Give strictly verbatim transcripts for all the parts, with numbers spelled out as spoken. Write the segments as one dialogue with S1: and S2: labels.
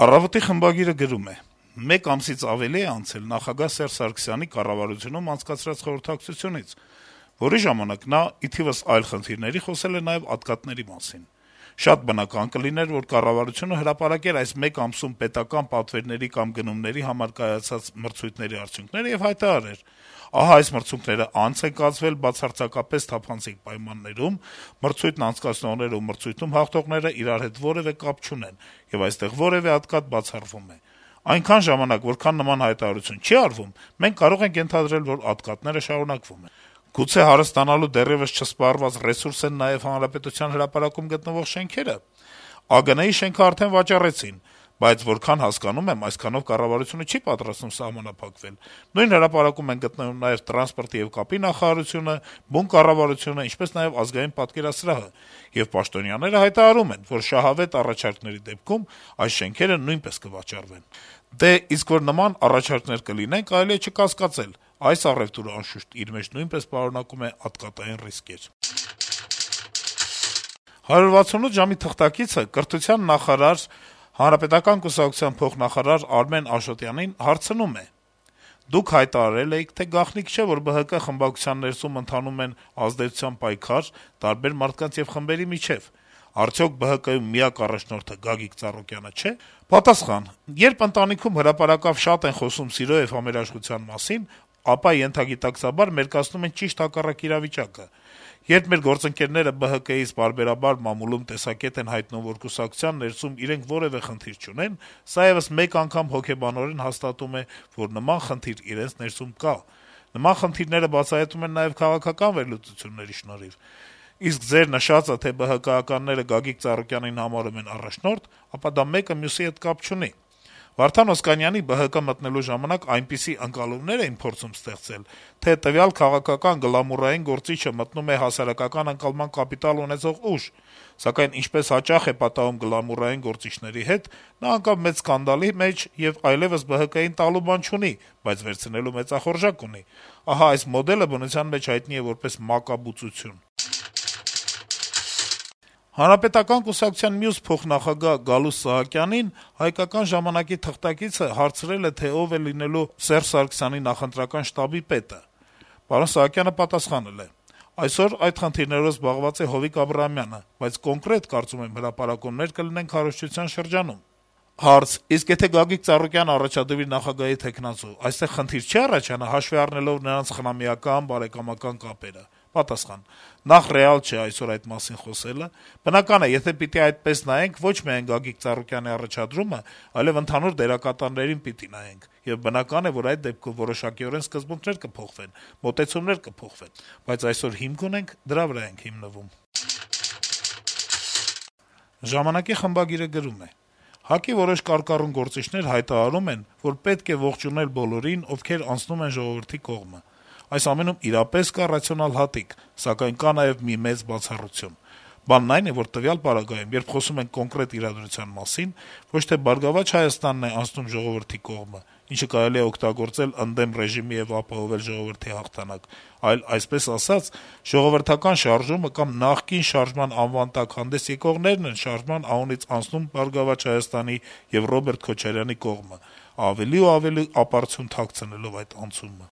S1: «Առավոտ»-ի խմբագիրը գրում է. - «Մեկ ամսից ավելի է անցել նախագահ Սերժ Սարգսյանի կառավարությունում անցկացրած խորհրդակցությունից, որի ժամանակ նա, ի թիվս այլ խնդիրների, խոսել է նաեւ ատկատների մասին: Շատ բնական կլիներ, որ կառավարությունը հրապարակեր այս մեկ ամսում պետական պատվերների կամ գնումների համար կայացած մրցույթների արդյունքները եւ հայտարարեր. ահա այս մրցույթները անց են կացվել բացարձակապես թափանցիկ պայմաններում, մրցույթն անցկացնողներն ու մրցույթում հաղթողները իրար հետ որեւէ կապ չունեն, եւ այստեղ որեւէ ատկատ բացառվում է: Այնքան ժամանակ, որքան նման հայտարարություն չի արվում, մենք կարող ենք ենթադրել, որ ատկատները շարունակվում են: Գուցե հարստանալու դեռեւս չսպառված ռեսուրս են նաեւ Հանրապետության հրապարակում գտնվող շենքերը: ԱԳՆ-ի շենքը արդեն վաճառեցին, բայց որքան հասկանում եմ, այսքանով կառավարությունը չի պատրաստվում սահմանափակվել: Նույն հրապարակում են գտնվում նաեւ տրանսպորտի եւ կապի նախարարությունը, բուն կառավարությունը, ինչպես նաեւ Ազգային պատկերասրահը, եւ պաշտոնյաները հայտարարում են, որ շահավետ առաջարկների դեպքում այս շենքերը նույնպես կվաճառվեն: Դե, իսկ որ նման առաջարկներ կլինեն, կարելի է չկասկածել` այս առեւտուրը, անշուշտ, իր մեջ նույնպես պարունակում է ատկատային ռիսկեր»: «հարյուր վաթսունութ ժամ»-ի թղթակիցը կրթության նախարար, Հանրապետական կուսակցության փոխնախարար Արմեն Աշոտյանին հարցնում է. - «Դուք հայտարարել էիք, թե գաղտնիք չէ, որ ԲՀԿ խմբակցության ներսում ընթանում են ազդեցության պայքար տարբեր մարդկանց եւ խմբերի միջեւ: Արդյոք ԲՀԿ-ում միակ առաջնորդը Գագիկ Ծառուկյանը չէ»: Պատասխան. - «Երբ ընտանիքում հրապարակավ շատ են խոսում սիրո եւ համերաշխության մասին, ապա ենթագիտակցաբար մերկացնում են ճիշտ հակառակ իրավիճակը: Երբ մեր գործընկերները ԲՀԿ-ից պարբերաբար մամուլում տեսակետ են հայտնում, որ կուսակցության ներսում իրենք որեւէ խնդիր չունեն, սա եւս մեկ անգամ հոգեբանորեն հաստատում է, որ նման խնդիր իրենց ներսում կա: Նման խնդիրները բացահայտվում են նաեւ քաղաքական վերլուծությունների շնորհիվ: Իսկ ձեր նշածը, թե ԲՀԿ-ականները Գագիկ Ծառուկյանին համարում են առաջնորդ, ապա դա մեկը մյուսի հետ կապ չունի: Վարդան Օսկանյանի ԲՀԿ մտնելու ժամանակ այնպիսի ընկալումներ էին փորձում ստեղծել, թե տվյալ քաղաքական գլամուռային գործիչը մտնում է հասարակական ընկալման կապիտալ ունեցող ուժ: Սակայն, ինչպես հաճախ է պատահում գլամուռային գործիչների հետ, նա ընկավ մեծ սկանդալի մեջ եւ այլեւս ԲՀԿ-ին տալու բան չունի, բայց վերցնելու մեծախորժակ ունի: Ահա այս մոդելը բնության մեջ հայտնի է որպես մակաբուծություն»: Հանրապետական կուսակցության մյուս փոխնախագահ Գալուստ Սահակյանին «Հայկական ժամանակ»-ի թղթակիցը հարցրել է, թե ով է լինելու Սերժ Սարգսյանի նախընտրական շտաբի պետը: Սահակյանը պատասխանել է. - «Այսօր այդ խնդիրներով զբաղված է Հովիկ Աբրահամյանը, բայց կոնկրետ, կարծում եմ, հրապարակումներ կլինեն քարոզչության շրջանում»: Հարց. - «Իսկ եթե Գագիկ Ծառուկյանը առաջադրվի նախագահի թեկնածու, այստեղ խնդիր չի առաջանա` հաշվի առնելով նրանց խնամիական, բարեկամական կապերը»: Պատասխան. - «Նախ, ռեալ չէ այսօր այդ մասին խոսելը: Բնական է, եթե պիտի այդպես նայենք, ոչ միայն Գագիկ Ծառուկյանի առաջադրումը, այլեւ ընդհանուր դերակատարներին պիտի նայենք: Եվ բնական է, որ այդ դեպքում որոշակիորեն սկզբունքներ կփոխվեն, մոտեցումներ կփոխվեն: Բայց այսօր հիմք ունենք, դրա վրա ենք հիմնվում»: «Ժամանակ»-ի խմբագիրը գրում է. - «ՀԱԿ-ի որոշ կարկառուն գործիչներ հայտարարում են, որ պետք է ողջունել բոլորին, ովքեր անցնում են ժողովրդի կողմը: Այս ամենում իրապես կա ռացիոնալ հատիկ, սակայն կա նաեւ մի մեծ բացառություն: Բանն այն է, որ տվյալ պարագայում, երբ խոսում ենք կոնկրետ իրադրության մասին, ոչ թե «Բարգավաճ Հայաստանն» է անցնում ժողովրդի կողմը, ինչը կարելի է օգտագործել ընդդեմ ռեժիմի եւ ապահովել ժողովրդի հաղթանակ, այլ, այսպես ասած, ժողովրդական շարժումը կամ նախկին շարժման անվան տակ հանդես եկողներն են շարժման անունից անցնում «Բարգավաճ Հայաստանի» եւ Ռոբերտ Քոչարյանի կողմը, ավելի ու ավելի ապարդյուն թաքցնելով այդ անցումը»: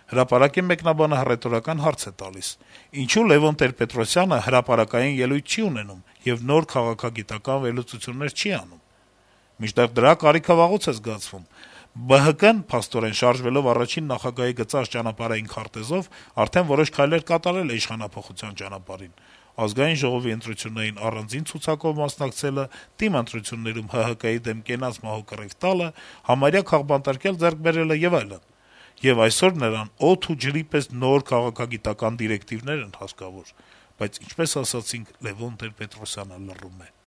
S1: «Հրապարակ»-ի մեկնաբանը հռետորական հարց է տալիս. - «Ինչո՞ւ Լեւոն Տեր-Պետրոսյանը հրապարակային ելույթ չի ունենում եւ նոր քաղաքագիտական վերլուծություններ չի անում»: Մինչդեռ դրա կարիքը վաղուց է զգացվում: ԲՀԿ-ն, փաստորեն, շարժվելով առաջին նախագահի գծած ճանապարհային քարտեզով, արդեն որոշ քայլեր կատարել է իշխանափոխության ճանապարհին: Ազգային ժողովի ընտրություններին առանձին ցուցակով մասնակցելը, ՏԻՄ ընտրություններում ՀՀԿ-ի դեմ կենաց մահու կռիվ տալը, համարյա քաղբանտարկել ձեռք բերելը եւ այլն: Եվ այսօր նրան օդի ու ջրի պես նոր քաղաքագիտական դիրեկտիվներ են հարկավոր: Բայց, ինչպես ասացինք, Լեւոն Տեր-Պետրոսյանը լռում է»: